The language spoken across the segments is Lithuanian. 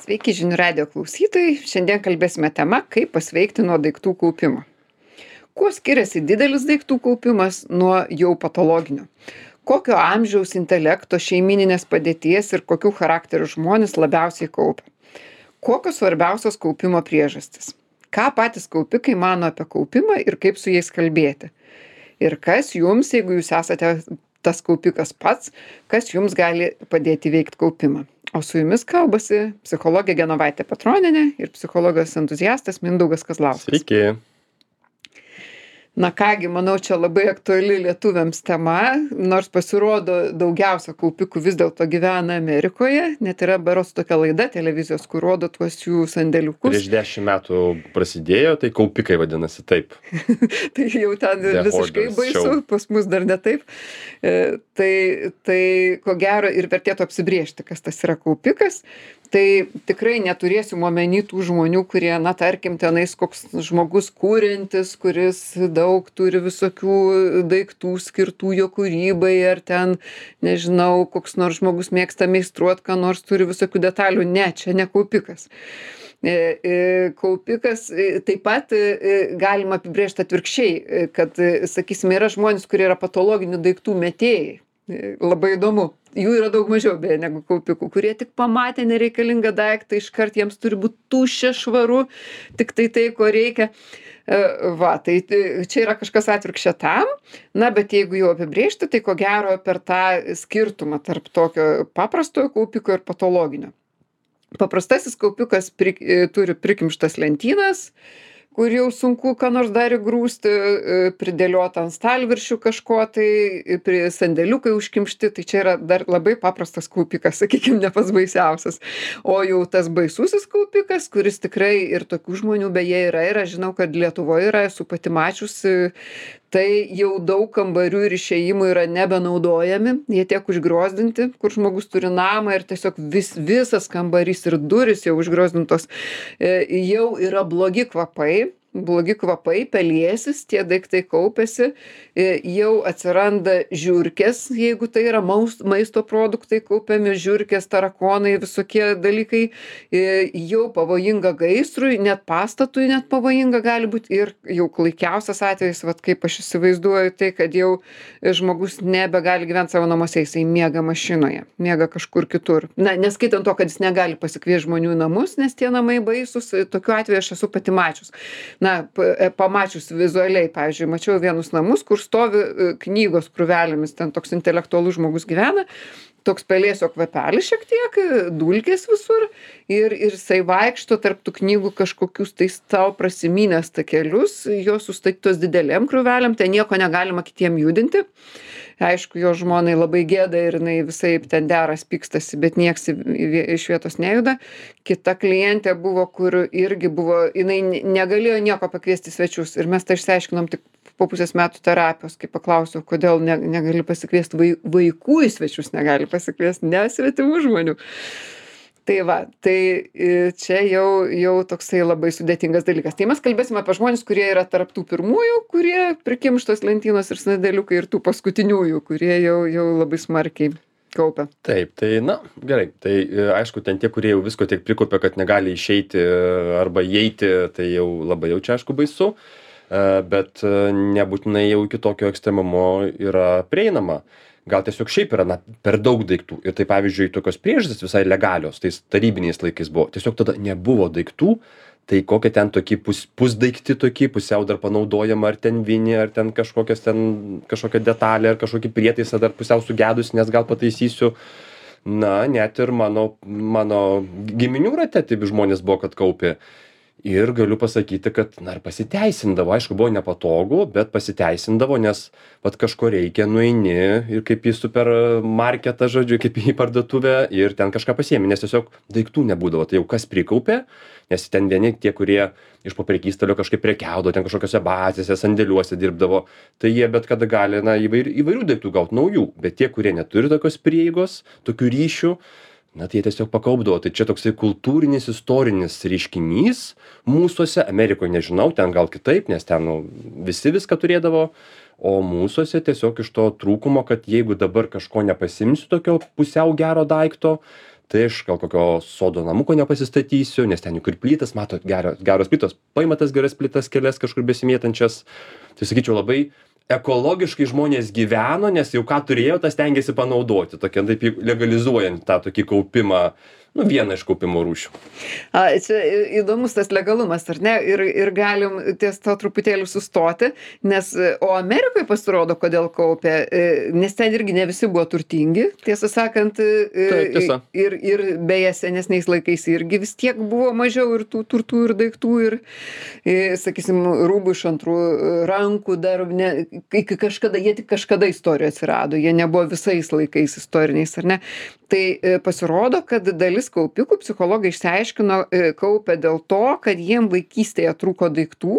Sveiki žinių radijo klausytojai. Šiandien kalbėsime tema, kaip pasveikti nuo daiktų kaupimo. Kuo skiriasi didelis daiktų kaupimas nuo jau patologinio? Kokio amžiaus, intelekto, šeimininės padėties ir kokių charakterių žmonės labiausiai kaupia? Kokios svarbiausios kaupimo priežastis? Ką patys kaupikai mano apie kaupimą ir kaip su jais kalbėti? Ir kas jums, jeigu jūs esate tas kaupikas pats, kas jums gali padėti veikti kaupimą? O su jumis kalbasi psichologė Genovaitė Petronienė ir psichologijos entuziastas Mindaugas Kazlauskas. Sveiki. Na kągi, manau, čia labai aktuali lietuviams tema, nors pasirodo daugiausia kaupikų vis dėlto gyvena Amerikoje, net yra berods tokia laida televizijos, kur rodo tuos jų sandėliukus. Prieš 10 metų prasidėjo, tai kaupikai vadinasi taip. Tai jau ten The visiškai Hoarders baisu, Show. pas mus dar ne taip. Tai ko gero ir vertėtų apsibriežti, kas tas yra kaupikas. Tai tikrai neturėsim omeny tų žmonių, kurie, na, tarkim, tenais koks žmogus kūrintis, kuris daug turi visokių daiktų skirtų jo kūrybai, ar ten, nežinau, koks nors žmogus mėgsta meistruot, ką nors turi visokių detalių. Ne, čia ne kaupikas. Kaupikas taip pat galima apibrėžti atvirkščiai, kad, sakysime, yra žmonės, kurie yra patologinių daiktų metėjai. Labai įdomu. Jų yra daug mažiau beje negu kaupikų, kurie tik pamatė nereikalingą daiktą, iškart jiems turi būti tuščia, švaru, tik tai, ko reikia. Tai čia yra kažkas atvirkščia tam, na, bet jeigu jau apibrėžti, tai ko gero per tą skirtumą tarp tokio paprastojo kaupiko ir patologinio. Paprastasis kaupikas turi prikimštas lentynas, kur jau sunku ką nors dar įgrūsti, pridėliota ant stalviršių kažko, tai sandėliukai užkimšti, tai čia yra dar labai paprastas kaupikas, sakykime, ne pats baisiausias. O jau tas baisusis kaupikas, kuris tikrai ir tokių žmonių beje yra, ir aš žinau, kad Lietuvoje yra, esu pati mačiusi, tai jau daug kambarių ir išėjimų yra nebenaudojami, jie tiek užgriozdinti, kur žmogus turi namą ir tiesiog visas kambarys ir durys jau užgriozdintos, jau yra blogi kvapai, pelėsis, tie daiktai kaupiasi, jau atsiranda žiurkės, jeigu tai yra maisto produktai kaupiami, žiurkės, tarakonai, visokie dalykai, jau pavojinga gaisrui, net pastatui net pavojinga gali būti ir jau klaikiausias atvejis, vat kaip aš įsivaizduoju, tai kad jau žmogus nebegali gyventi savo namuose, jisai miega mašinoje, miega kažkur kitur. Na, neskaitant to, kad jis negali pasikviesti žmonių į namus, nes tie namai baisus, tokiu atveju aš esu pati mačius. Na, pamačius vizualiai, pavyzdžiui, mačiau vienus namus, kur stovi knygos krūvelėmis, ten toks intelektualus žmogus gyvena, toks pelėsio kvapelis šiek tiek, dulkės visur ir jisai vaikšto tarp tų knygų kažkokius tai tau prasimynės takelius, jos sustatytos didelėm krūvelėm, tai nieko negalima kitiem judinti. Aišku, jo žmonai labai gėda ir jinai visaip ten deras, pykstasi, bet nieks iš vietos nejuda. Kita klientė buvo, kur irgi buvo, jinai negalėjo nieko pakviesti svečius ir mes tai išsiaiškinom tik po pusės metų terapijos, kai paklausiau, kodėl negali pasikviesti vaikų į svečius, negali pasikviesti nesvetimų žmonių. Tai va, tai čia jau toksai labai sudėtingas dalykas. Tai mes kalbėsime apie žmonės, kurie yra tarp tų pirmųjų, kurie prikimštos lentynos ir sandėliukai, ir tų paskutiniųjų, kurie jau labai smarkiai kaupia. Taip, tai na, gerai. Tai aišku, ten tie, kurie jau visko tiek prikaupia, kad negali išeiti arba įeiti, tai jau labai jau čia aišku baisu, bet nebūtinai jau iki tokio ekstremumo yra prieinama. Gal tiesiog šiaip yra per daug daiktų. Ir tai pavyzdžiui, tokios priežastys visai legalios, tais tarybiniais laikais buvo. Tiesiog tada nebuvo daiktų, tai kokie ten tokie pusdaikti tokie, pusiau dar panaudojama, ar ten vinį, ar ten kažkokia detalė, ar kažkokį prietaisą dar pusiau sugedus, nes gal pataisysiu. Na, net ir mano giminių rate taip žmonės buvo, kad kaupė. Ir galiu pasakyti, kad, na, ir pasiteisindavo, aišku, buvo nepatogu, bet pasiteisindavo, nes vat kažko reikia, nueini ir kaip į supermarketą, žodžiu, kaip į parduotuvę ir ten kažką pasiemi, nes tiesiog daiktų nebūdavo, tai jau kas prikaupė, nes ten vieni tie, kurie iš po prekystalio kažkaip prekiaudavo, ten kažkokiose bazėse, sandėliuose dirbdavo, tai jie bet kada gali, na, įvairių daiktų gauti naujų, bet tie, kurie neturi tokios prieigos, tokių ryšių, na, tai jie tiesiog pakaupdavo. Tai čia toksai kultūrinis, istorinis reiškinys mūsuose, Amerikoje nežinau, ten gal kitaip, nes ten visi viską turėdavo, o mūsuose tiesiog iš to trūkumo, kad jeigu dabar kažko nepasimsiu tokio pusiau gero daikto, tai aš gal kokio sodo namuko nepasistatysiu, nes ten juk ir plytas, matot, geros plytos, paima tas geras plytas kelias kažkur besimėtančias. Tai sakyčiau, labai ekologiškai žmonės gyveno, nes jau ką turėjo, tas stengiasi panaudoti, tokia taip legalizuojant tą tokį kaupimą, vieną iš kaupimo rūšių. Čia įdomus tas legalumas, ar ne? Ir galim ties to truputėlį sustoti, nes, o Amerikoje pasirodo, kodėl kaupė, nes ten irgi ne visi buvo turtingi, tiesą sakant, tiesa. ir beje senesniais laikais irgi vis tiek buvo mažiau ir tų turtų ir daiktų ir, sakysim, rūbų iš antrų rankų dar, iki kažkada, jie tik kažkada istorijoje atsirado, jie nebuvo visais laikais istoriniais, ar ne? Tai pasirodo, kad dalis kaupikų psichologai išsiaiškino kaupia dėl to, kad jiem vaikystėje trūko daiktų,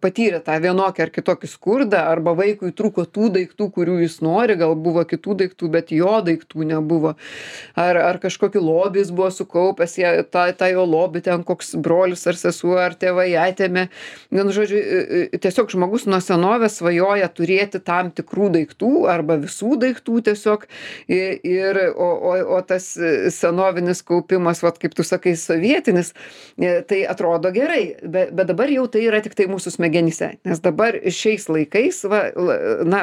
patyrė tą vienokį ar kitokį skurdą, arba vaikui trūko tų daiktų, kurių jis nori, gal buvo kitų daiktų, bet jo daiktų nebuvo. Ar kažkokį lobį jis buvo sukaupęs, tą jo lobį ten koks brolis ar sesuo ar tėvai atėmė. Vienu žodžiu, tiesiog žmogus nuo senovės svajoja turėti tam tikrų daiktų arba visų daiktų tiesiog. O tas senovinis kaupimas, kaip tu sakai, sovietinis, tai atrodo gerai, bet dabar jau tai yra tik tai mūsų smegenyse, nes dabar šiais laikais,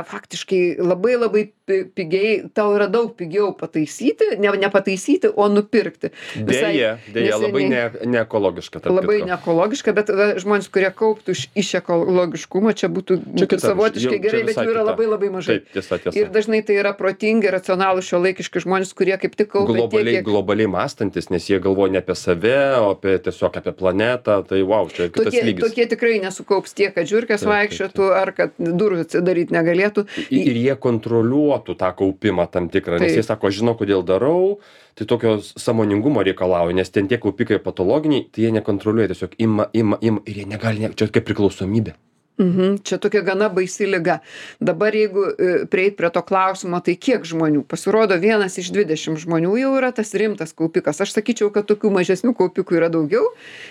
faktiškai labai labai pigiai, tau yra daug pigiau pataisyti, ne pataisyti, o nupirkti. Deja, labai neekologiška. Labai neekologiška, bet žmonės, kurie kauptų iš ekologiškumo, čia būtų savotiškai gerai, bet jų yra labai labai mažai. Taip, tiesa. Ir dažnai tai yra protingi, racionalūs, šiuolaikiški žmonės, kurie kaip tik kaupia globaliai mąstantis, nes jie galvoja ne apie save, o tiesiog apie planetą, tai čia kitas lygis. Tokie tikrai nesukaups tiek, kad žiurkės vaikščiotų, ar kad durų atsidaryti negalėtų. Ir jie kontroliuotų tą kaupimą tam tikrą, nes jie sako, žinau, kodėl darau, tai tokio sąmoningumo reikalauja, nes ten tie kaupikai patologiniai, tai jie nekontroliuoja, tiesiog ima ir jie negali, čia kaip priklausomybė. Čia tokia gana baisi liga. Dabar jeigu prieit prie to klausimo, tai kiek žmonių? Pasirodo, 1 iš 20 žmonių jau yra tas rimtas kaupikas. Aš sakyčiau, kad tokių mažesnių kaupikų yra daugiau,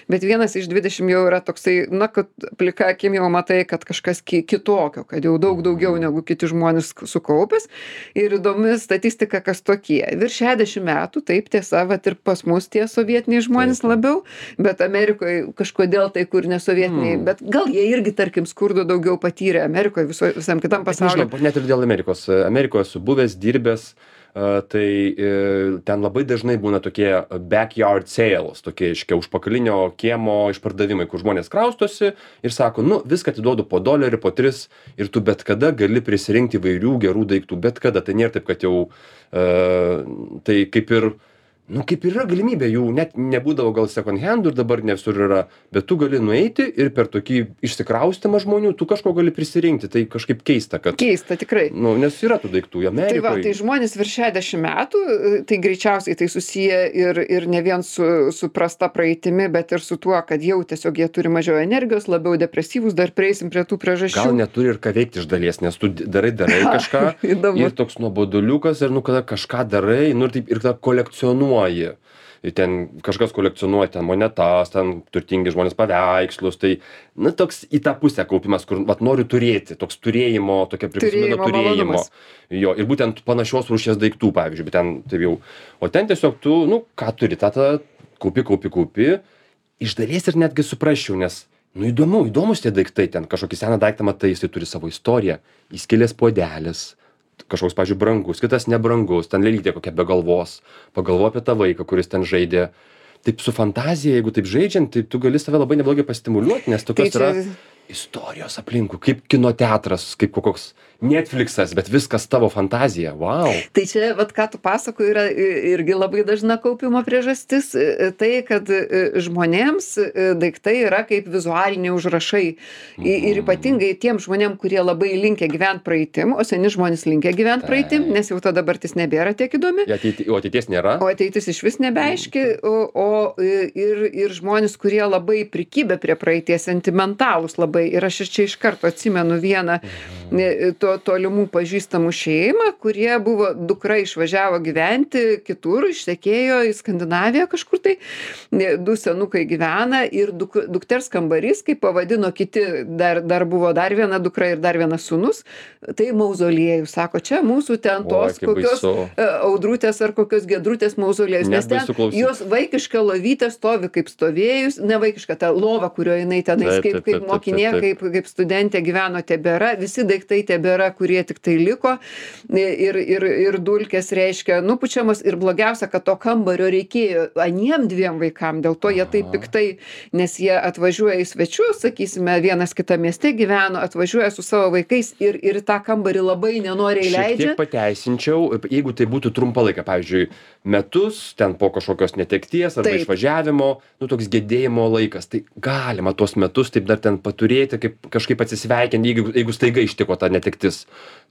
bet 1 iš 20 jau yra toksai, kad plika akim jau matai, kad kažkas kitokio, kad jau daug daugiau negu kiti žmonės sukaupęs. Ir įdomi statistika, kas tokie. Virš 60 metų, taip tiesa, ir pas mus tie sovietiniai žmonės labiau, bet Amerikoje kažkodėl tai kur nesovietiniai, bet gal jie irgi, tarkim, skurdo daugiau patyrė Amerikoje, visam kitam pasaulyje. Nežinau, net ir dėl Amerikos. Amerikoje esu buvęs, dirbęs, tai ten labai dažnai būna tokie backyard sales, tokie užpakalinio kiemo išpardavimai, kur žmonės kraustosi ir sako, viską atiduodu po $1, po 3 ir tu bet kada gali prisirinkti įvairių gerų daiktų, bet kada. Tai nėra taip, kad jau tai kaip ir yra galimybė, jų net nebūdavo gal second handų ir dabar ne visur yra, bet tu gali nueiti ir per tokį išsikraustymą žmonių, tu kažko gali prisirinkti, tai kažkaip keista, kad... Keista, tikrai. Nes yra tų daiktų Amerikoje. Tai žmonės virš 60 metų, tai greičiausiai tai susiję ir ne vien su prasta praeitimi, bet ir su tuo, kad jau tiesiog jie turi mažiau energijos, labiau depresyvūs, dar prieisim prie tų priežasčių. Gal neturi ir ką veikti iš dalies, nes tu darai kažką ir toks nuoboduliukas ir kada kažką darai, ir tada kolekcionuoji. Ir ten kažkas kolekcionuoja ten monetas, ten turtingi žmonės paveikslus, tai toks į tą pusę kaupimas, kur noriu turėti, toks turėjimo, tokia priklausomybė turėjimo. Jo, ir būtent panašios rūšies daiktų, pavyzdžiui, bet ten taip jau, o ten tiesiog tu, ką turi, tą kaupi, iš dalies ir netgi suprasčiau, nes, įdomus tie daiktai, ten kažkokį seną daiktą matai, jisai turi savo istoriją, įskilęs puodelis, kažkoks, pavyzdžiui, brangus, kitas nebrangus, ten lėlytė kokia be galvos, pagalvo apie tą vaiką, kuris ten žaidė. Taip su fantazija, jeigu taip žaidžiant, tai tu gali save labai neblogai pastimuliuoti, nes tokios yra istorijos aplinkui, kaip kino teatras, kaip koks Netflixas, bet viskas tavo fantazija. Wow. Tai čia, ką tu pasakoji, yra irgi labai dažna kaupimo priežastis. Tai, kad žmonėms daiktai yra kaip vizualiniai užrašai. Ir ypatingai tiem žmonėm, kurie labai linkę gyventi praeitim, o seni žmonės linkę gyventi praeitim, nes jau ta dabartis nebėra tiek įdomi. O ateities nėra. O ateitis iš vis nebeaiški. Ir žmonės, kurie labai prikibę prie praeities, sentimentalūs labai labai. Ir aš čia iš karto atsimenu vieną tolimų pažįstamų šeimą, kurie buvo, dukra išvažiavo gyventi kitur, ištekėjo į Skandinaviją kažkur tai, du senukai gyvena ir dukters kambarys, kaip pavadino kiti, dar buvo dar viena dukra ir dar vienas sūnus, tai mauzoliejus. Sako, čia mūsų ten tos kokios audrutės ar kokios gedrutės mauzoliejus, nes ten jos vaikiška lovytė stovi kaip stovėjus, ne vaikiška, ta lova, kurioje jinai tenais kaip mokinė, kaip studentė gyveno, tebėra, visi daiktai tebėra, kurie tik tai liko ir dulkės reiškia nupučiamos ir blogiausia, kad to kambario reikėjo aniem dviem vaikam, dėl to jie taip piktai, nes jie atvažiuoja į svečius, sakysime, vienas kitą mieste gyveno, atvažiuoja su savo vaikais ir tą kambarį labai nenoriai leidžia. Šiek tiek pateisinčiau, jeigu tai būtų trumpą laiką, pavyzdžiui, metus, ten po kažkokios netekties arba išvažiavimo, toks gedėjimo laikas, tai galima tuos metus taip dar ten paturėti, kaip kažkaip atsisveikinti, jeigu staiga ištiko ta netektis,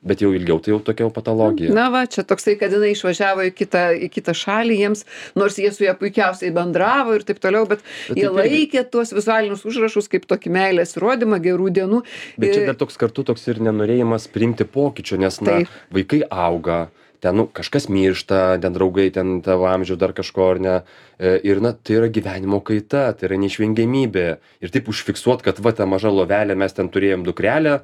bet jau ilgiau tai jau tokia patologija. Na va, čia toksai, kad jinai išvažiavo į kitą šalį jiems, nors jie su ją puikiausiai bendravo ir taip toliau, bet jie laikė tuos vizualinius užrašus kaip tokį meilės įrodymą, gerų dienų. Bet čia dar toks kartu toks ir nenorėjimas priimti pokyčio, nes vaikai auga, ten kažkas miršta, ten draugai, ten tavo amžiaus dar kažko ar ne. Ir tai yra gyvenimo kaita, tai yra neišvengiamybė. Ir taip užfiksuot, kad ta maža lovelė, mes ten turėjom dukrelę,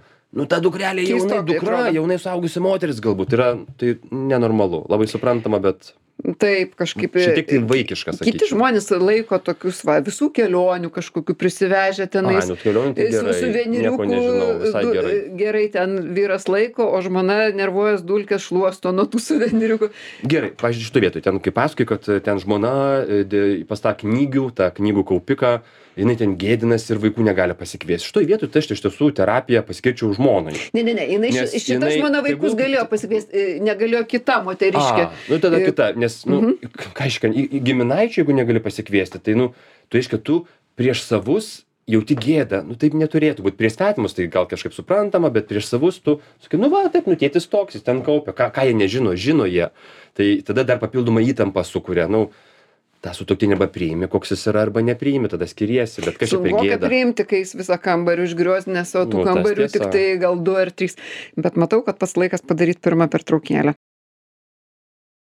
ta dukrelė jaunai suaugusi moteris galbūt yra, tai nenormalu, labai suprantama, bet... Taip, kažkaip... Šiek tiek tai vaikiška, sakyčiau. Kiti žmonės laiko tokius, visų kelionių kažkokių prisivežę tenais. Su suveniriukų. Gerai, ten vyras laiko, o žmona nervuojas dulkės šluosto nuo tų suveniriukų. Gerai, pavyzdžiui, šito vietoj, ten kaip pasakai, kad ten žmona pas tą knygų kaupiką, jinai ten gėdinasi ir vaikų negali pasikviesti. Šitoj vietoj tai aš iš tiesų terapiją paskirčiau žmonai. Ne, šita žmona vaikus galėjo pasikviesti, negalėjo kita moteriškė. Tada kita, nes, ką iškan, giminaičių, jeigu negali pasikviesti, tai, tu aiškia, tu prieš savus jauti gėdą, taip neturėtų būti. Prieš svetimus tai gal kažkaip suprantama, bet prieš savus tu sakai, taip, tėtis toks, jis ten kaupia, ką jie nežino, žino jie. Tai tada dar papildomą įtampą sukuria, tą sutuoktinį arba priimi, koks jis yra, arba nepriimi, tada skiriesi, bet kas čia apie gėdą. Sunku priimti, kai jis visą kambarį užgriozinęs, o tų kambarių tik tai gal 2 ar 3. Bet matau, kad pats laikas padaryti pirmą pertraukėlę.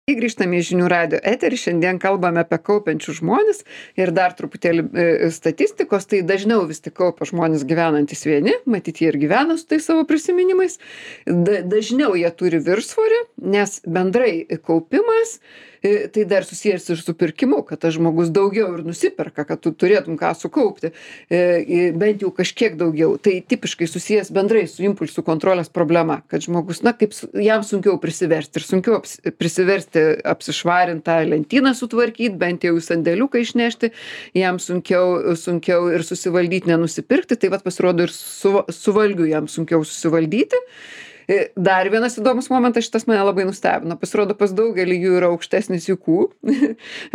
Grįžtame į Žinių radijo eterį, šiandien kalbame apie kaupiančius žmones ir dar truputėlį statistikos, tai dažniau vis tik kaupia žmonės gyvenantis vieni, matyt, jie ir gyvena su tai savo prisiminimais, dažniau jie turi viršsvorį, nes bendrai kaupimas tai dar susijęs ir su pirkimu, kad tas žmogus daugiau ir nusiperka, kad tu turėtum ką sukaupti, bent jau kažkiek daugiau. Tai tipiškai susijęs bendrai su impulsų kontrolės problema, kad žmogus, kaip jam sunkiau prisiversti ir sunkiau prisiversti apsišvarintą lentyną sutvarkyti, bent jau į sandėliuką išnešti, jam sunkiau ir susivaldyti, nenusipirkti, tai pasirodo ir su valgiu jam sunkiau susivaldyti. Dar vienas įdomus momentas, šitas mane labai nustebino. Pasirodo, pas daugelį jų yra aukštesnis IQ,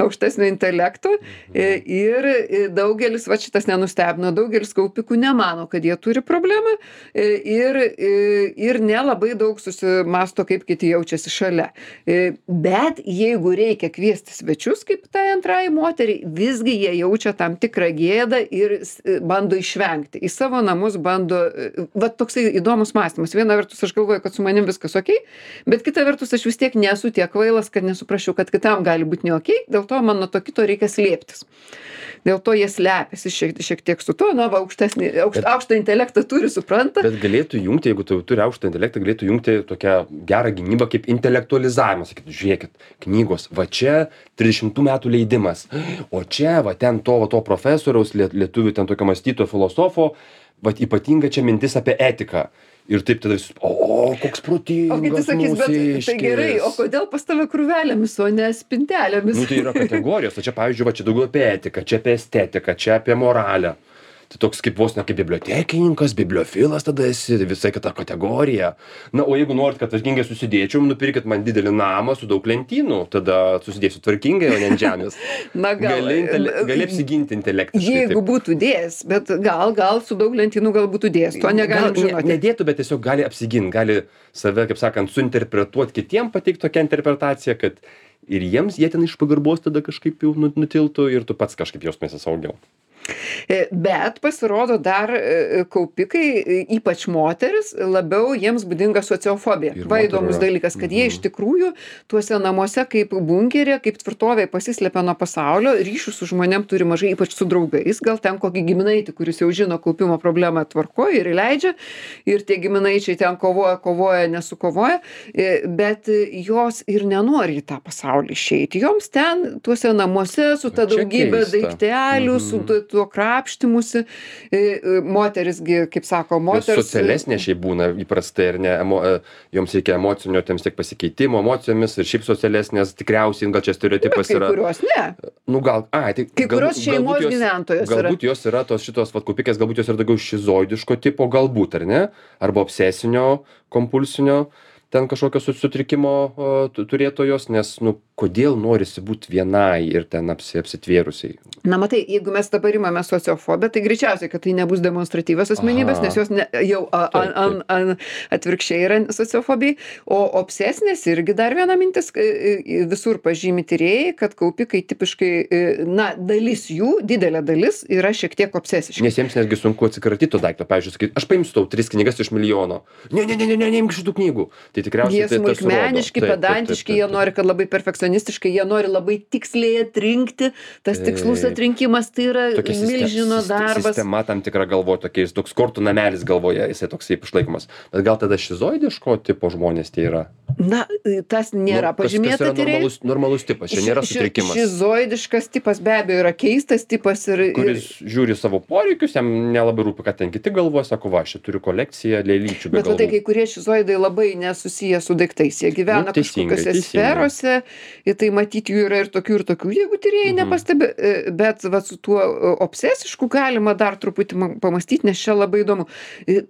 aukštesnio intelekto ir daugelis, šitas nenustebino, daugelis kaupikų nemano, kad jie turi problemą ir nelabai daug susimasto, kaip kiti jaučiasi šalia. Bet jeigu reikia kviesti svečius, kaip tai antrai moteriai, visgi jie jaučia tam tikrą gėdą ir bando išvengti. Į savo namus bando, toksai įdomus mąstymas. Viena vertus aš galvoju, kad su manim viskas okei, bet kita vertus aš vis tiek nesu tiek kvailas, kad nesuprasčiau, kad kitam gali būti ne okei, dėl to man nuo to kito reikia slėptis. Dėl to jie slepiasi šiek tiek su to, aukštą intelektą turi, supranta. Bet galėtų jungti, jeigu tu turi aukštą intelektą, galėtų jungti tokią gerą gynybą kaip intelektualizavimas. Sakytų, žiūrėkit, knygos, čia 30 metų leidimas, o čia, ten to profesoriaus, lietuvių ten tokio mąstytojo filosofo, ypatinga čia mintis apie etiką. Ir taip tada visus, koks protingas. O kiti sakys, bet tai gerai, o kodėl pas tave krūvelėmis, o ne spintelėmis? Tai yra kategorijos, o čia, pavyzdžiui, čia daugiau apie etiką, čia apie estetiką, čia apie moralę. Tai toks kaip vos ne kaip bibliotekininkas, bibliofilas tada esi, visai kita kategorija. O jeigu norit, kad tvarkingai susidėčiau, nupirkit man didelį namą su daug lentynų, tada susidėsiu tvarkingai, o ne ant žemės. Gali apsiginti intelektiškai. Jeigu būtų dėjęs, bet gal su daug lentynų gal būtų dėjęs, to negalim žinoti. Nedėtų, bet tiesiog gali apsiginti, gali save, kaip sakant, suinterpretuoti kitiem, pateikti tokią interpretaciją, kad ir jie ten iš pagarbos tada kažkaip jau nutiltų ir tu pats kažkaip jausmėsi saugiau. Bet pasirodo dar kaupikai, ypač moteris, labiau jiems būdinga sociofobija. Ir Va moterų įdomus yra. dalykas, kad jie iš tikrųjų tuose namuose kaip bunkeryje, kaip tvirtovėje pasislepia nuo pasaulio, ryšių su žmonėm turi mažai, ypač su draugais, gal ten kokį giminaitį, kuris jau žino kaupimo problemą tvarkoja ir įleidžia, ir tie giminaičiai ten kovoja, nesukovoja, bet jos ir nenori į tą pasaulį išeiti. Joms ten tuose namuose su ta Čia daugybė keista. daiktelių, su tuo krapštimusi, moterisgi, kaip sako, Jos moters. socialesnė šiaip būna įprastai, ar ne, joms reikia emocinio tiems tiek pasikeitimo emocijomis ir šiaip socialesnės, tikriausiai, gal čia stereotipas Kai yra. kurios ne. Nu gal, tai Kai kurios šeimos gyventojos yra. galbūt jos yra tos šitos vat kaupikės, galbūt jos yra daugiau šizoidiško tipo, galbūt, ar ne? Arba obsesinio, kompulsinio, ten kažkokio sutrikimo turėtojos, nes, nu, kodėl norisi būti vienai ir ten apsitvėrusiai. Na matai, jeigu mes dabar imame sociofobiją, tai greičiausiai, kad tai nebus demonstratyvios asmenybės, nes jos jau atvirkščiai yra sociofobijai, o obsesinės irgi dar viena mintis, visur pažymi tyrėjai, kad kaupikai tipiškai, na, dalis jų, didelė dalis, yra šiek tiek obsesiški. Nes jiems netgi sunku atsikratyti to daikto. Pavyzdžiui, sakyti, aš paimsiu tau 3 knygas iš milijono. Neimk šitų knygų. Tai tikriausiai Jie smulkmeniški, pedantiški, jie nori, kad labai perfekcionistiškai, jie nori labai tiksliai atrinkti, tas tikslus atrinkimas tai yra milžino darbas. Sistema tam tikra galvoje, tokiais toks kortų namelis galvoje, jisai toksai išlaikomas. Bet gal tada šizoidiško tipo žmonės tie yra? Na, tas nėra pažymėta tyrėjai. Normalus tipas, čia nėra sutrikimas. Šizoidiškas tipas be abejo yra keistas tipas ir... Kuris žiūri savo poreikius, jam nelabai rūpi, kad ten kiti galvoja, sako, va, aš turiu kolekciją lėlyčių be galvų. Bet tai kai kurie šizoidai labai nesusiję su daiktais, jie gyvena kažkokiose sferose, ir tai matyti jų yra ir tokių, jeigu tyrėjai nepastebi, bet va, su tuo obsesišku galima dar truputį pamastyti, nes čia labai įdomu.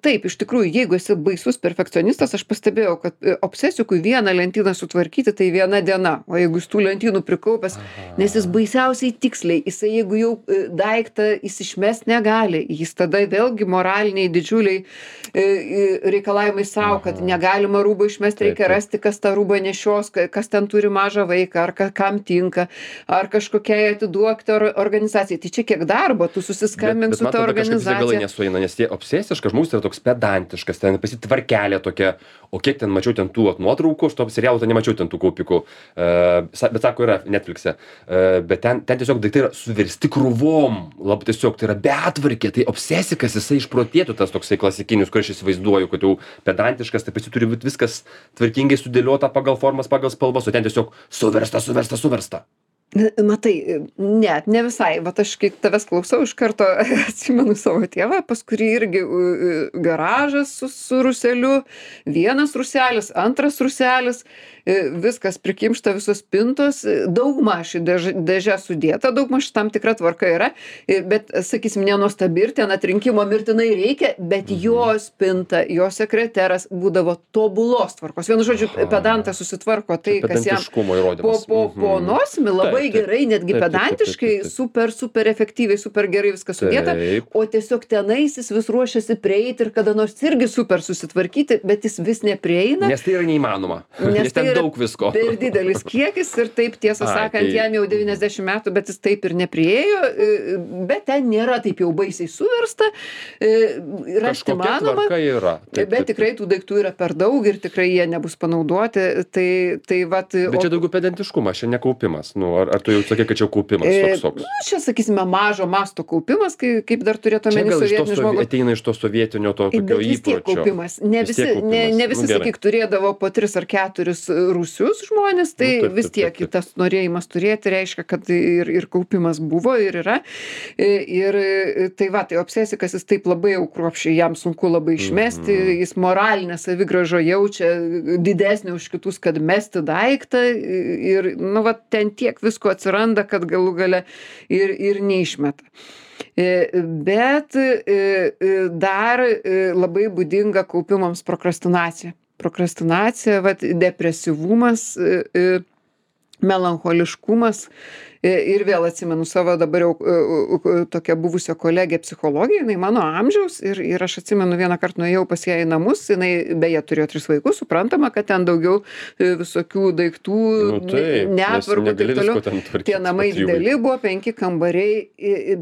Taip, iš tikrųjų, jeigu esi baisus perfekcionistas, aš pastebėjau, kad obsesikui vieną lentyną sutvarkyti, tai viena diena, o jeigu jis tų lentynų prikaupęs, nes jis baisiausiai tiksliai, jisai jeigu jau daiktą jis išmest negali, jis tada vėlgi moraliniai didžiuliai reikalavimai savo, kad negalima rūbą išmesti, reikia rasti, kas tą rūbą nešios, kas ten turi mažą vaiką, ar kam tinka, ar kažkokiai atiduokti organizacijai. Tai čia kiek darbo, tu susiskambink su ta organizacija. Galai nesueina, nes tie obsesiškas žmogus yra toks pedantiškas, ten pasitvarkelė tokia, o kiek ten mačiau ten tų nuotraukų, aš to serialo ten nemačiau ten tų kaupikų, bet sako yra Netflix'e, bet ten tiesiog daiktai yra suversti krūvom, labai tiesiog tai yra betvarkė, tai obsesikas jisai išprotėtų tas toksai klasikinis, kur aš įsivaizduoju, kad jau pedantiškas, tai pasi turi būti viskas tvarkingai sudėliota pagal formas, pagal spalvas, o ten tiesiog suversta. Matai, ne visai. Vat aš kai tavęs klausau, iš karto atsimenu savo tėvą, pas kurį irgi garažas su rūseliu, vienas rūselis, antras rūselis, viskas prikimšta, visos spintos, daugmaž dėžė sudėta, daugmaž tam tikra tvarka yra, bet, sakysim, nenuostabi ir ten atrinkimo mirtinai reikia, bet jo spinta, jo sekreteras būdavo tobulos tvarkos. Vienu žodžiu, pedantas susitvarko tai, kas jam po nosimi labai gerai, netgi pedantiškai, super efektyviai, super gerai viskas sudėta, o tiesiog tenais jis vis ruošiasi prieiti ir kada nors irgi super susitvarkyti, bet jis vis neprieina. Nes tai yra neįmanoma. Nes ten daug visko. Per didelis kiekis ir taip, tiesą sakant, jam jau 90 metų, bet jis taip ir nepriejo, bet ten nėra taip jau baisiai suversta. Rasti manoma, bet tikrai tų daiktų yra per daug ir tikrai jie nebus panaudoti. Bet čia daugiau pedantiškumas, čia nekaupimas. Ar tu jau sakai, kad čia kaupimas toks? Čia, sakysime, mažo masto kaupimas, kaip dar turėtų omeny sovietinis žmogus. Ateina iš to sovietinio tokio įpročio. Bet vis tiek kaupimas. Ne visi, sakyk, turėdavo po 3 ar 4 rūsius žmonės, tai vis tiek tas norėjimas turėti reiškia, kad ir kaupimas buvo ir yra. Ir tai tai obsesikas jis taip labai jau kruopščiai, jam sunku labai išmesti, jis moralinę savigrąžą jaučia didesnį už kitus, kad mesti daiktą ir, ten tiek visko atsiranda, kad galų gale ir neišmeta. Bet dar labai būdinga kaupimams prokrastinacija. Prokrastinacija, depresyvumas, melancholiškumas, Ir vėl atsimenu savo dabar jau tokią buvusią kolegę psichologę, jinai mano amžiaus ir aš atsimenu vieną kartą nuėjau pas ją į namus, jinai beje turėjo 3 vaikus, suprantama, kad ten daugiau visokių daiktų, Nu, taip, nes netvarkų ir negali taip toliau. visko ten tvarkyt Tie namai po 3 dideli vaikų. buvo, 5 kambariai,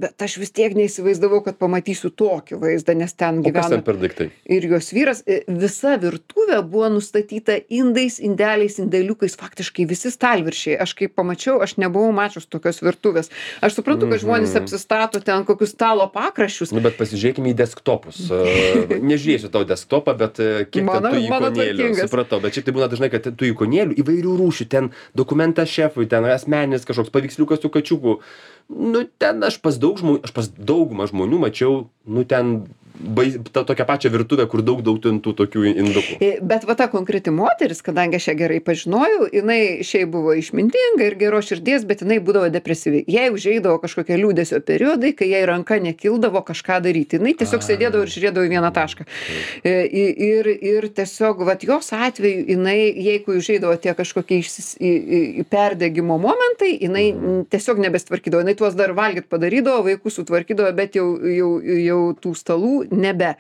bet aš vis tiek neįsivaizdavau, kad pamatysiu tokį vaizdą, nes ten O kas gyvena ten per daiktai? ir jos vyras. Visa virtuvė buvo nustatyta indais, indeliais, indeliukais, faktiškai visi stalviršiai. Aš kaip pamačiau, aš nebuvau mačius tokios virtuvės. Aš suprantu, kad žmonės apsistato ten kokius stalo pakraščius. Nu, bet pasižiūrėkime į desktopus. Nežiūrėsiu tau desktopą, bet kiek Mano- ten tų mano ikonėlių. tvarkingas. Supratau, bet šiaip tai būna dažnai, kad tų ikonėlių įvairių rūšių. Ten dokumentas šefui, ten asmeninis kažkoks paveiksliukas su kačiuku. Nu, ten aš pas daugumą žmonių mačiau, nu, ten tą tokią pačią virtuvę, kur daug ten tų tokių indukų. Bet va ta konkreti moteris, kadangi aš ją gerai pažinojau, jinai šiaip buvo išmintinga ir geros širdies, bet jinai būdavo depresyvi. Jei užeidavo kažkokie liūdesio periodai, kai jai ranka nekildavo kažką daryti, jinai tiesiog sėdėdavo ir žiūrėdavo į vieną tašką. Ir tiesiog, va, jos atveju, jinai, jeigu užeidavo tie kažkokie perdegimo momentai, jinai tiesiog nebestvarkydavo. Jinai tuos dar valgyt padarydavo, vaikus sutvarkydavo, bet jau tų stalų nebe.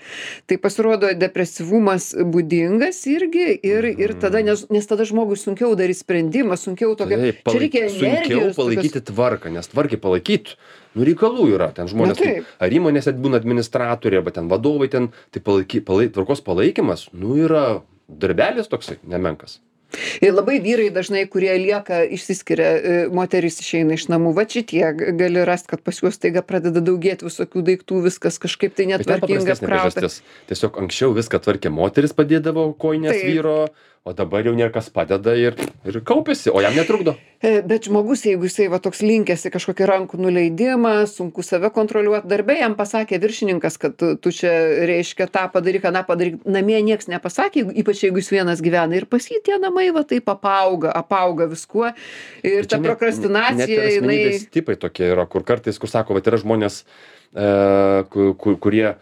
Tai pasirodo depresyvumas būdingas irgi ir tada, nes tada žmogui sunkiau daryti sprendimą, sunkiau tokio. Taip, Čia reikia sunkiau energijos. palaikyti tvarką, nes tvarkai palaikyt, nu, reikalų yra. Ten žmonės, Na, taip. ar įmonėse būna administratoriai, arba ten vadovai, ten, tai tvarkos palaikymas, nu, yra darbelis toksai, nemenkas. Ir labai vyrai dažnai, kurie lieka, išsiskiria, moteris išeina iš namų, va šitie gali rasti, kad pas juos taiga pradeda daugėti visokių daiktų, viskas kažkaip tai Bet ten netvarkinga paprastesnė apkrauta. priežastis. Tiesiog anksčiau viską tvarkė moteris, padėdavo kojinės Taip. vyro, o dabar jau niekas padeda ir kaupėsi, o jam netrukdo. Bet žmogus, jeigu jisai va toks linkęs į kažkokį rankų nuleidimą, sunku save kontroliuoti, darbė jam pasakė viršininkas, kad tu čia reiškia tą padaryk, aną padaryk, namie nieks nepasakė, ypač jeigu jis vienas gyvena ir pas jį tie namai va taip apauga viskuo ir ta prokrastinacija, net ir jinai. asmenybės tipai tokie yra, kur kartais, kur sako, va, yra žmonės, kurie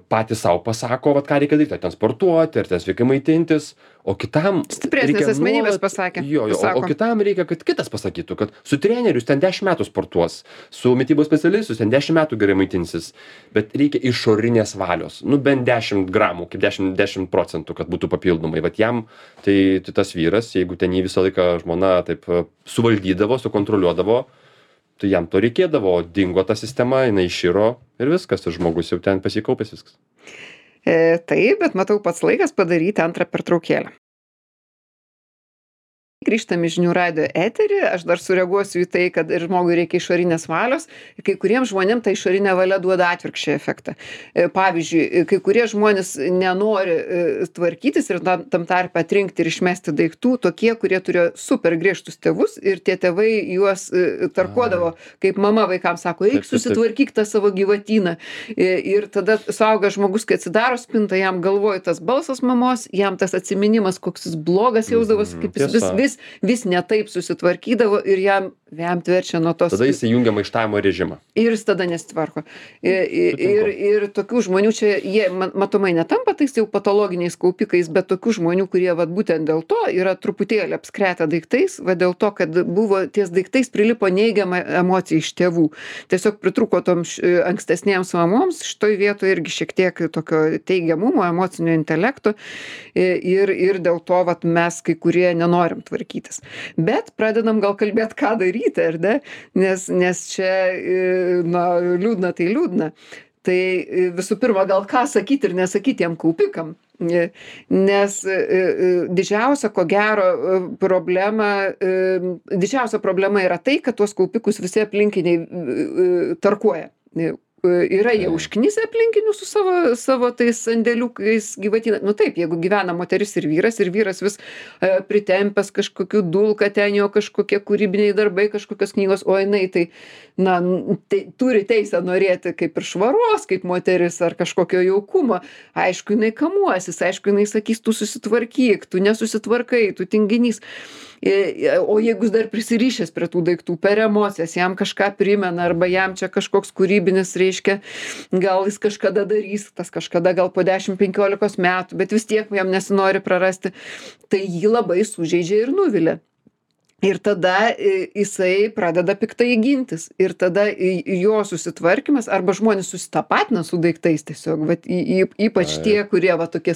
patys savo pasako, vat ką reikia daryti, ar ten sportuoti, ar ten sveikai maitintis, o kitam Stipresnės reikia asmenybės nuolat- pasakė, Jo, o pasako. kitam reikia, kad kitas pasakytų, kad su treneriu ten 10 metų sportuos, su mitybos specialistus ten 10 metų gerai maitinsis, bet reikia išorinės valios, nu bent 10 gramų, kaip 10%, kad būtų papildomai. Vat jam, tai tas vyras, jeigu ten jį visą laiką žmona taip suvaldydavo, sukontroliuodavo, tai jam to reikėdavo, dingo ta sistema, jinai iširo ir viskas, ir žmogus jau ten pasikaupęs viskas. Taip, bet matau pats laikas padaryti antrą pertraukėlę. Grįžtam į žinių radijo eterį, aš dar sureaguosiu į tai, kad ir žmogui reikia išorinės valios, kai kuriems žmonėms ta išorinė valia duoda atvirkščią efektą. Pavyzdžiui, kai kurie žmonės nenori tvarkytis ir tam tarpe atrinkti ir išmesti daiktų, tokie, kurie turėjo super griežtus tėvus ir tie tėvai juos tarkuodavo, kaip mama vaikams sako, eik susitvarkyk tą savo gyvatyną. Ir tada suaugęs žmogus, kai atsidaro spintą, jam galvoja tas balsas mamos, jam tas atsiminimas, koks jis blogas jausdavosi, kaip jis vis ne taip susitvarkydavo ir jam verčia nuo tos. Tada jis įjungia maištavimo režimą. Ir jis tada nesitvarko. Ir tokių žmonių čia, jie matomai netampa tais jau patologiniais kaupikais, bet tokių žmonių, kurie vat būtent dėl to yra truputėlį apskretę daiktais, va dėl to, kad buvo ties daiktais prilipo neigiama emocija iš tėvų. Tiesiog pritruko toms ankstesnėms mamoms, šitoj vietoje irgi šiek tiek tokio teigiamumo, emocinio intelekto ir dėl to vat mes kai kurie nenorim tvarkytis. Bet pradedam gal kalbėti, ką daryti, ar ne? Nes čia, na, liūdna tai liūdna. Tai visų pirma, gal ką sakyti ir nesakyti tiem kaupikam. Nes didžiausia, ko gero, didžiausia problema yra tai, kad tuos kaupikus visi aplinkiniai tarkuoja. Yra jie užknisę aplinkinių su savo tais sandėliukais gyvatyną. Nu taip, jeigu gyvena moteris ir vyras vis pritempęs kažkokių dulka ten jo kažkokie kūrybiniai darbai, kažkokios knygos, o jinai tai, na, turi teisę norėti kaip ir švaros, kaip moteris ar kažkokio jaukumo. Aišku, jinai kamuosis, aišku, jinai sakys, tu susitvarkyk, tu nesusitvarkai, tu tinginys. O jeigu jis dar prisirišęs prie tų daiktų per emocijas, jam kažką primena arba jam čia kažkoks kūrybinis reiškia, gal jis kažkada darys, tas kažkada gal po 10-15 metų, bet vis tiek jam nesinori prarasti, tai jį labai sužeidžia ir nuvilia. Ir tada jisai pradeda piktai gintis. Ir tada jo susitvarkymas arba žmonės susitapatina su daiktais tiesiog. Vat, ypač tie, kurie va, tokie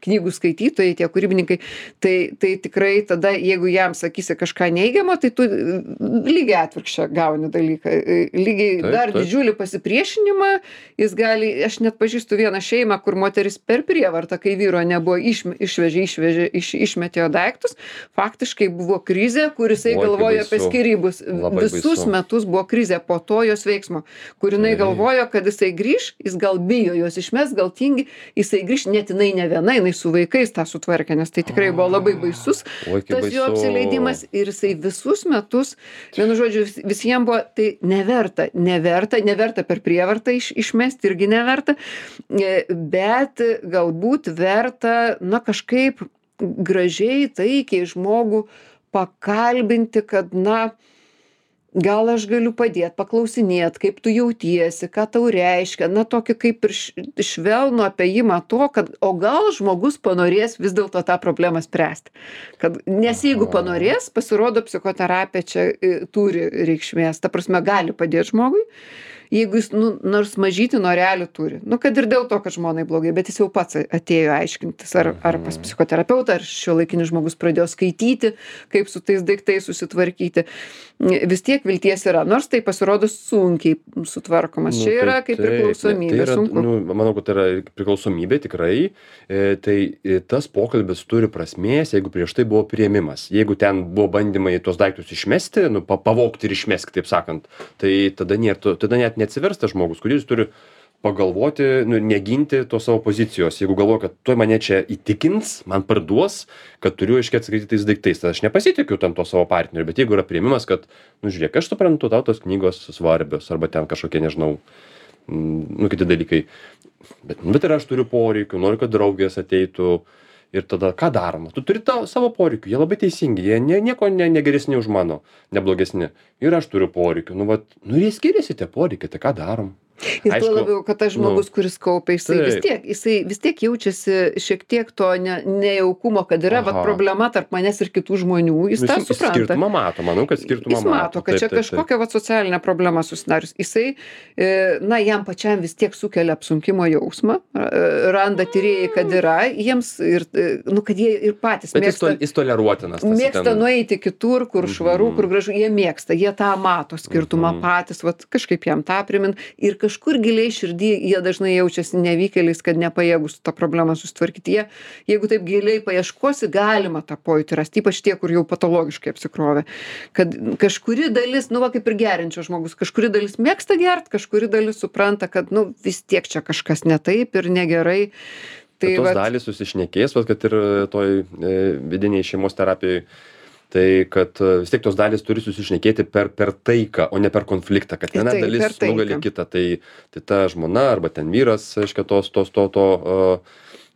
knygų skaitytojai, tie kūrybininkai. Tai tikrai tada, jeigu jam sakysi kažką neigiamo, tai tu lygiai atvirkščią gauni dalyką. Lygiai dar didžiulį pasipriešinimą jis gali. Aš net pažįstu vieną šeimą, kur moteris per prievartą, kai vyro nebuvo, išmetė jo daiktus. Faktiškai buvo krizė, kur jisai galvojo apie skyrybus. Visus metus buvo krizė po to jos veiksmo, kur jinai galvojo, kad jisai grįš, jis gal bijo jos išmes, gal tingi, jisai grįš, net jinai ne viena, jinai su vaikais tą sutvarkė, nes tai tikrai buvo labai baisus tas jo apsileidimas ir jisai visus metus, vienu žodžiu, visiems buvo tai neverta per prievartą išmesti, irgi neverta, bet galbūt verta, na kažkaip gražiai, taikiai žmogų pakalbinti, kad, na, gal aš galiu padėti, paklausinėti, kaip tu jautiesi, ką tau reiškia, na, tokį kaip ir švelnų apėjimą to, kad, o gal žmogus panorės vis dėlto tą problemą spręsti. Nes jeigu panorės, pasirodo, psichoterapija čia turi reikšmės, ta prasme, gali padėti žmogui. Jeigu jis nors mažytį norelį turi, kad ir dėl to, kad žmonai blogai, bet jis jau pats atėjo aiškintis, ar pas psichoterapeutą, ar šiuolaikinis žmogus pradėjo skaityti, kaip su tais daiktais susitvarkyti, vis tiek vilties yra, nors tai pasirodo sunkiai sutvarkomas. Čia yra kaip priklausomybė, sunku. Manau, kad tai yra priklausomybė tikrai, tai tas pokalbis turi prasmės, jeigu prieš tai buvo priėmimas. Jeigu ten buvo bandymai tuos daiktus išmesti, pavogti ir išmesti, taip sakant, tai tada net neatsiversta žmogus, kuris turi pagalvoti, neginti tos savo pozicijos. Jeigu galvoju, kad tuoj mane čia įtikins, man parduos, kad turiu aiškiai atsakyti tais daiktais, tai aš nepasitikiu tam to savo partneriu, bet jeigu yra priėmimas, kad, žiūrėk, aš suprantu, tau tos knygos svarbios, arba ten kažkokie, nežinau, kiti dalykai, bet ir aš turiu poreikių, noriu, kad draugės ateitų. Ir tada ką daroma? Tu turi savo poreikių, jie labai teisingi, jie nieko negeresni už mano, neblogesni. Ir aš turiu poreikių, ir jie skiriasi tie poreikiai, tai ką darom? Ir tuo labiau, kad tas žmogus, kuris kaupia, jisai vis tiek jaučiasi šiek tiek to nejaukumo, kad yra problema tarp manęs ir kitų žmonių, jis tą supranta. Skirtumą mato, manau, kad skirtumą mato. Jis mato, kad čia kažkokia socialinė problema susidarius. Jisai, jam pačiam vis tiek sukelia apsunkimo jausmą, randa tyrėjai, kad yra, jiems, kad jie ir patys mėgsta. Bet jis toleruotinas. Mėgsta nueiti kitur, kur švaru, kur gražu, jie mėgsta, jie tą mato skirtumą patys, kažkaip jam tą primin. Ir kažkur giliai širdį jie dažnai jaučiasi nevykėliais, kad nepajėgus tą problemą susitvarkyti. Jeigu taip giliai paieškosi, galima tą pojūtį rasti, ypač tie, kur jau patologiškai apsikrovė. Kad kažkuri dalis, kaip ir geriančio žmogus, kažkuri dalis mėgsta gert, kažkuri dalis supranta, kad vis tiek čia kažkas ne taip ir negerai. Tai tos dalys susišnekės, kad ir toj vidiniai šeimos terapijai, tai kad vis tiek tos dalys turi susišnekėti per taiką, o ne per konfliktą, kad viena dalis nugali kitą. Tai ta žmona arba ten vyras, aiškia, to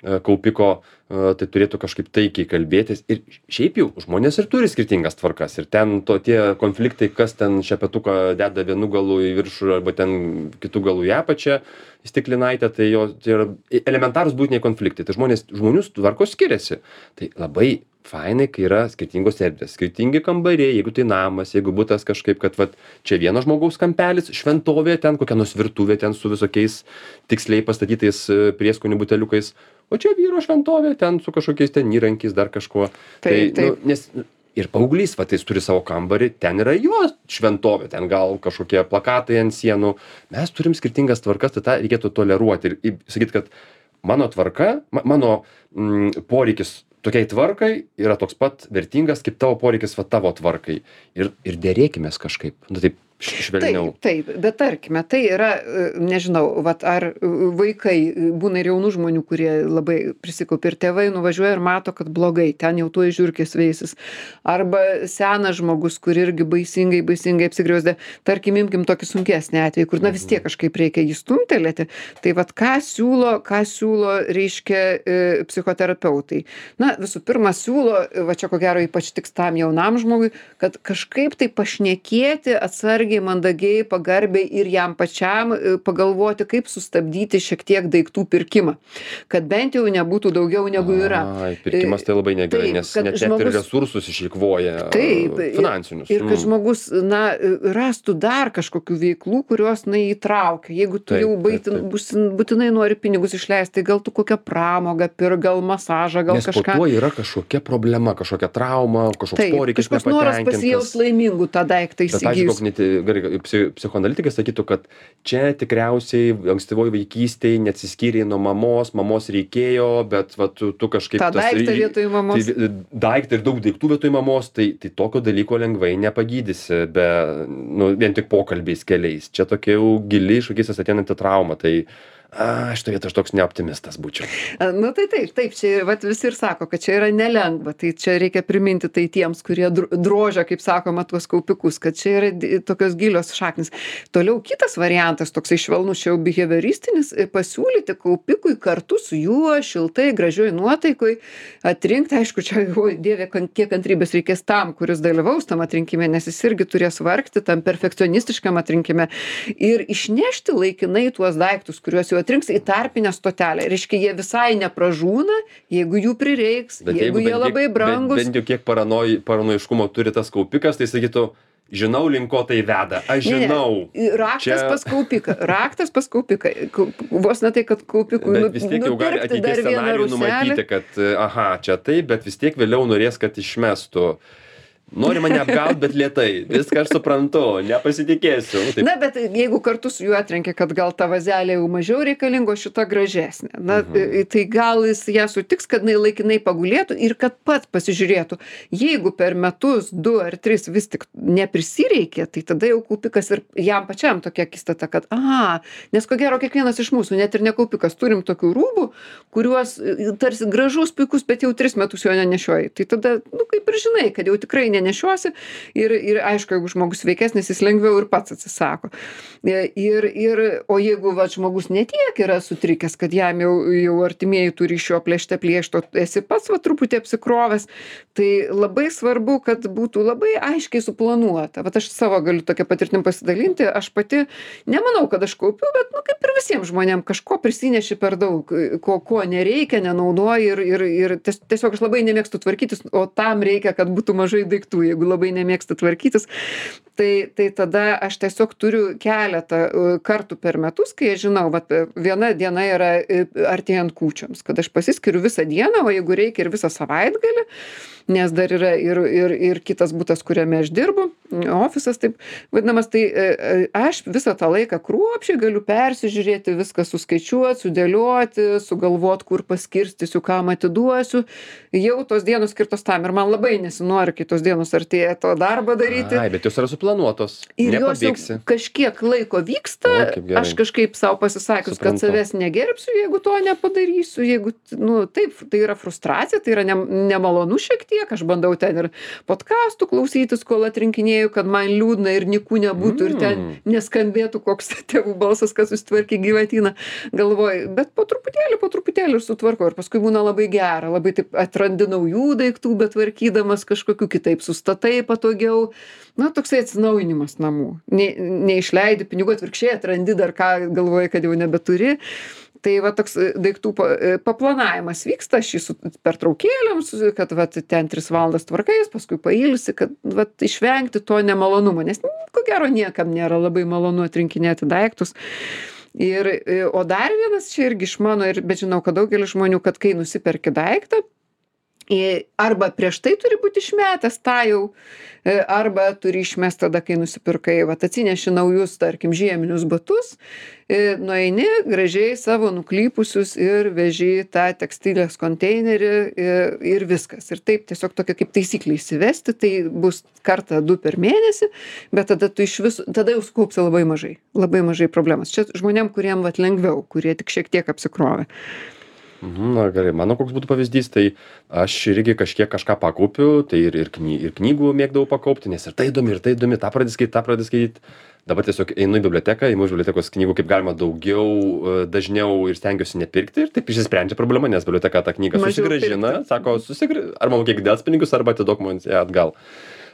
kaupiko, tai turėtų kažkaip taikiai kalbėtis. Ir šiaip jau žmonės ir turi skirtingas tvarkas. Ir ten tie konfliktai, kas ten šepetuką deda vienu galu į viršų arba ten kitų galų į apačią, į stiklinaitę, tai yra elementarūs būtiniai konfliktai. Tai žmonių tvarkos skiriasi. Tai labai fainai, kai yra skirtingos erdvės, skirtingi kambariai, jeigu tai namas, jeigu butas kažkaip, kad čia vieno žmogaus kampelis, šventovė, ten kokia nors virtuvė, ten su visokiais tiksliai pastatytais prieskonių buteliukais, o čia vyro šventovė, ten su kažkokiais ten įrankiais, dar kažkuo. Taip. Nes ir paauglys, jis turi savo kambarį, ten yra jo šventovė, ten gal kažkokie plakatai ant sienų. Mes turim skirtingas tvarkas, tai tą reikėtų toleruoti ir sakyti, kad mano tvarka, mano poreikis tokiai tvarkai yra toks pat vertingas, kaip tavo poreikis tavo tvarkai. Ir dėrėkimės kažkaip. Taip švelniau. Taip, bet tarkime, tai yra, nežinau, ar vaikai, būna ir jaunų žmonių, kurie labai prisikaupia ir tėvai nuvažiuoja ir mato, kad blogai, ten jau tuoj žiurkės veisis. Arba senas žmogus, kur irgi baisingai apsigriausdė. Tarkim, imkim tokį sunkesnį atvejį, kur vis tiek kažkaip reikia jį stumtelėti. Tai ką siūlo, reiškia, psichoterapeutai. Visų pirma, siūlo, čia ko gero ypač tiks tam jaunam žmogui, kad kažkaip tai pašnekėti atsargiai atsargiai, mandagiai, pagarbiai ir jam pačiam pagalvoti, kaip sustabdyti šiek tiek daiktų pirkimą, kad bent jau nebūtų daugiau negu yra. Ai, pirkimas tai labai negerai, Taip, nes kad net ir žmogus- resursus išeikvoja Taip, finansinius. ir kad žmogus, na, rastų dar kažkokių veiklų, kurios, na, įtraukia. Jeigu tu Taip, jau taip, taip. būtinai nori pinigus išleisti, tai gal tu kokią pramogą pirk, gal masažą, gal Nes po kažką. tuo yra kažkokia problema, kažkokia trauma, kažkoks Taip, poreikis kažkoks noras nepatenkintas. pasijaus laimingų tą daiktą Bet, pavyzdžiui, įsigijus. gerai, psichoanalitikai sakytų, kad čia tikriausiai ankstyvoj vaikystėj neatsiskyrei nuo mamos reikėjo, bet va, tu kažkaip... Tą daiktą vietoj mamos. Tai daiktą ir daug daiktų vietoj mamos, tai tokio dalyko lengvai nepagydysi, nu, vien tik pokalbiais keliais. Čia tokia jau gili iš vaikystės ateinanti trauma, tai šitoj vietoj aš toks neoptimistas būčiau. Nu tai taip, čia vat visi ir sako, kad čia yra nelengva, tai čia reikia priminti tai tiems, kurie drožia, kaip sakoma, tuos kaupikus, kad čia yra tokios gilios šaknis. Toliau kitas variantas, toksai švelnus, čia jau behavioristinis, pasiūlyti kaupikui kartu su juo šiltai, gražioj nuotaikoj atrinkti, aišku, čia, oi, Dieve, kiek kantrybės reikės tam, kuris dalyvaus tam atrinkime, nes jis irgi turės vargti tam perfekcionistiškam atrinkime ir išnešti laikinai tuos daiktus, kuriuos jau atrinks į tarpinę stotelę. Reiškia, jie visai nepražūna, jeigu jų prireiks, jeigu jie labai brangus. Bent jau kiek paranoiškumo turi tas kaupikas, tai sakytų, žinau, link ko tai veda. Aš žinau. Raktas pas kaupiką. Vos ne tai, kad kaupikui Bet vis tiek jau gali ateities scenarijų numatyti, kad, čia taip, bet vis tiek vėliau norės, kad išmestų. Nori mane apgaut, bet lėtai. Viską aš suprantu, nepasitikėsiu. Taip. Na, bet jeigu kartu su juo atrenkia, kad gal ta vazelė jau mažiau reikalingo, šita gražesnė. Na, tai gal jis ją sutiks, kad jinai laikinai pagulėtų ir kad pats pasižiūrėtų. Jeigu per metus 2 ar 3 vis tik neprisireikė, tai tada jau kaupikas ir jam pačiam tokia akistata, kad, nes ko gero kiekvienas iš mūsų, net ir ne kaupikas, turim tokių rūbų, kuriuos tarsi gražus, puikus, bet jau 3 metus jo nenešioji. Tai tada, kaip ir žinai, kad jau tikrai nenešiosi ir aišku, jeigu žmogus sveikesnis, jis lengviau ir pats atsisako. O jeigu žmogus netiek yra sutrikęs, kad jam jau artimieji turi iš jo plėšto, esi pats truputį apsikrovęs, tai labai svarbu, kad būtų labai aiškiai suplanuota. Aš savo galiu tokią patirtim pasidalinti, aš pati nemanau, kad aš kaupiu, bet kaip ir visiems žmonėms kažko prisineši per daug, ko nereikia, nenaudoji ir tiesiog aš labai nemėgstu tvarkytis, o tam reikia, kad būtų mažai daiktų. Jeigu labai nemėgsta tvarkytis, tai tada aš tiesiog turiu keletą kartų per metus, kai aš žinau, viena diena yra artėjant kūčioms, kad aš pasiskiriu visą dieną, o jeigu reikia ir visą savaitgalį, nes dar yra ir kitas butas, kuriame aš dirbu, ofisas taip vadinamas, tai aš visą tą laiką kruopščiai galiu persižiūrėti, viską suskaičiuoti, sudėlioti, sugalvoti, kur paskirstysiu, kam atiduosiu. Jau tos dienos skirtos tam ir man labai nesinori, kai tos dienos artėja to darbą daryti. Bet jos yra suplanuotos. Ir jos jau kažkiek laiko vyksta, aš kažkaip savo pasisakius, kad savęs negerbsiu, jeigu to nepadarysiu, jeigu, taip, tai yra frustracija, tai yra nemalonu šiek tiek, aš bandau ten ir podcastų klausytis, kol atrinkinėjau, kad man liūdna ir nikų nebūtų ir ten neskambėtų koks tėvų balsas, kad susitvarkė gyvatyną, galvoju, bet po truputėlį ir sutvarkau ir paskui būna labai gera, labai taip atrandi naujų daiktų, bet tvarkydamas kažkokiu kitaip sustatai patogiau, toksai atsinaujinimas namų, neišleidi pinigų, atvirkščiai atrandi dar ką, galvoji, kad jau nebeturi. Tai toks daiktų paplanavimas vyksta, aš jį pertraukėlėms, kad ten 3 valandas tvarkais, paskui pailsi, kad išvengti to nemalonumo, nes ko gero niekam nėra labai malonu atrinkinėti daiktus. O dar vienas čia irgi iš mano, bet žinau, kad daugelis žmonių, kad kai nusiperki daiktą, arba prieš tai turi būti išmetęs tą jau, arba turi išmest tada, kai nusipirkai, atsineši naujus, tarkim, žieminius batus, nueini gražiai savo nuklypusius ir veži tą tekstilės konteinerį ir viskas. Ir taip tiesiog tokia kaip taisyklė įsivesti, tai bus kartą 2 per mėnesį, bet tada tada jau sukaupsi labai mažai problemas. Čia žmonėm, kuriem lengviau, kurie tik šiek tiek apsikrovė. Na gerai, mano koks būtų pavyzdys, tai aš irgi kažką pakaupiu, tai ir knygų mėgdavau pakaupti, nes ir tai įdomi, tą pradėti skaityti. Dabar tiesiog einu į biblioteką, imu iš bibliotekos knygų kaip galima daugiau, dažniau ir stengiuosi nepirkti ir taip išsisprendžia problema, nes biblioteka tą knygą susigrąžina, sako, arba mokėk delspinigius, arba atiduok man ją atgal.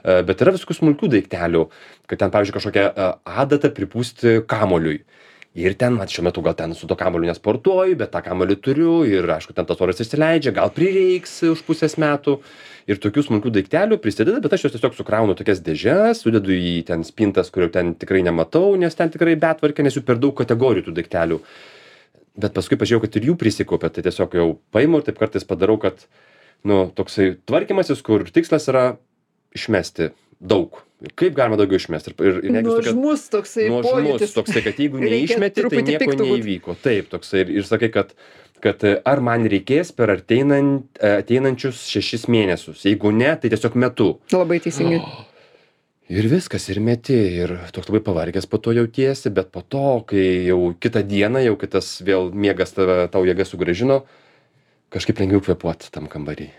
Bet yra visokių smulkių daiktelių, kad ten, pavyzdžiui, kažkokią adatą pripūsti kamuoliui. Ir ten, vat, šiuo metu gal ten su to kamuoliu nesportuoju, bet tą kamuolį turiu ir, aišku, ten tas oras išsileidžia, gal prireiks už pusės metų. Ir tokių smulkių daiktelių prisideda, bet aš juos tiesiog sukraunu tokias dėžes, sudedu į ten spintas, kurių ten tikrai nematau, nes ten tikrai betvarkė, nes jų per daug kategorijų tų daiktelių. Bet paskui pažiūrėjau, kad ir jų prisikaupė, tai tiesiog jau paimu ir taip kartais padarau, kad, nu, toksai tvarkymasis, kur tikslas yra išmesti daug. Kaip galima daugiau išmesti. Nuožmus toksai pojūtis. Toksai, kad jeigu neišmeti, tai nieko neįvyko. Taip, toksai. Ir sakai, kad ar man reikės per ateinančius 6 mėnesius. Jeigu ne, tai tiesiog metu. Labai teisingai. Ir viskas, ir meti, ir toks labai pavargęs po to jautiesi, bet po to, kai jau kitą dieną, jau kitas vėl miegas tau jėga sugrąžino, kažkaip lengviau kvėpuoti tam kambarį.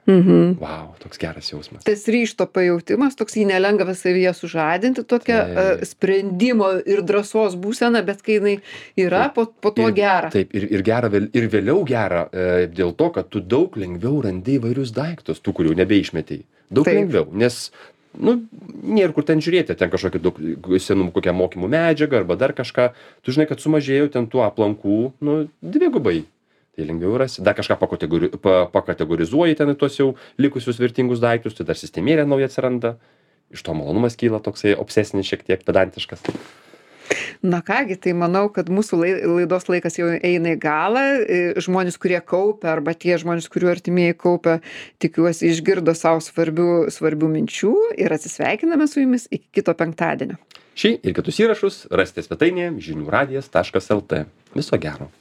Vau, toks geras jausmas. Tas ryžto pajautimas, toks jį nelengva savyje sužadinti, tokia sprendimo ir drąsos būsena, bet kai jinai yra, po to gera. Taip, ir gera, ir vėliau gera dėl to, kad tu daug lengviau randi įvairius daiktus, tų, kurių nebeišmetei. Daug lengviau, nes, nu, nėra kur ten žiūrėti, ten kažkokį daug senų kokią mokymų medžiagą arba dar kažką. Tu žinai, kad sumažėjo ten tų aplankų, nu, dvigubai. Tai lengviau rasi, dar kažką pakategorizuoji ten į tuos jau likusius vertingus daiktus, tai dar sistemėlė nauja atsiranda, iš to malonumas kyla toksai obsesinis, šiek tiek pedantiškas. Na kągi, tai manau, kad mūsų laidos laikas jau eina į galą. Žmonės, kurie kaupia, arba tie žmonės, kurių artimieji kaupia, tikiuosi išgirdo savo svarbių minčių ir atsisveikiname su jumis iki kito penktadienio. Šį ir kitus įrašus rasite svetainėje žiniųradijas.lt. Viso gero.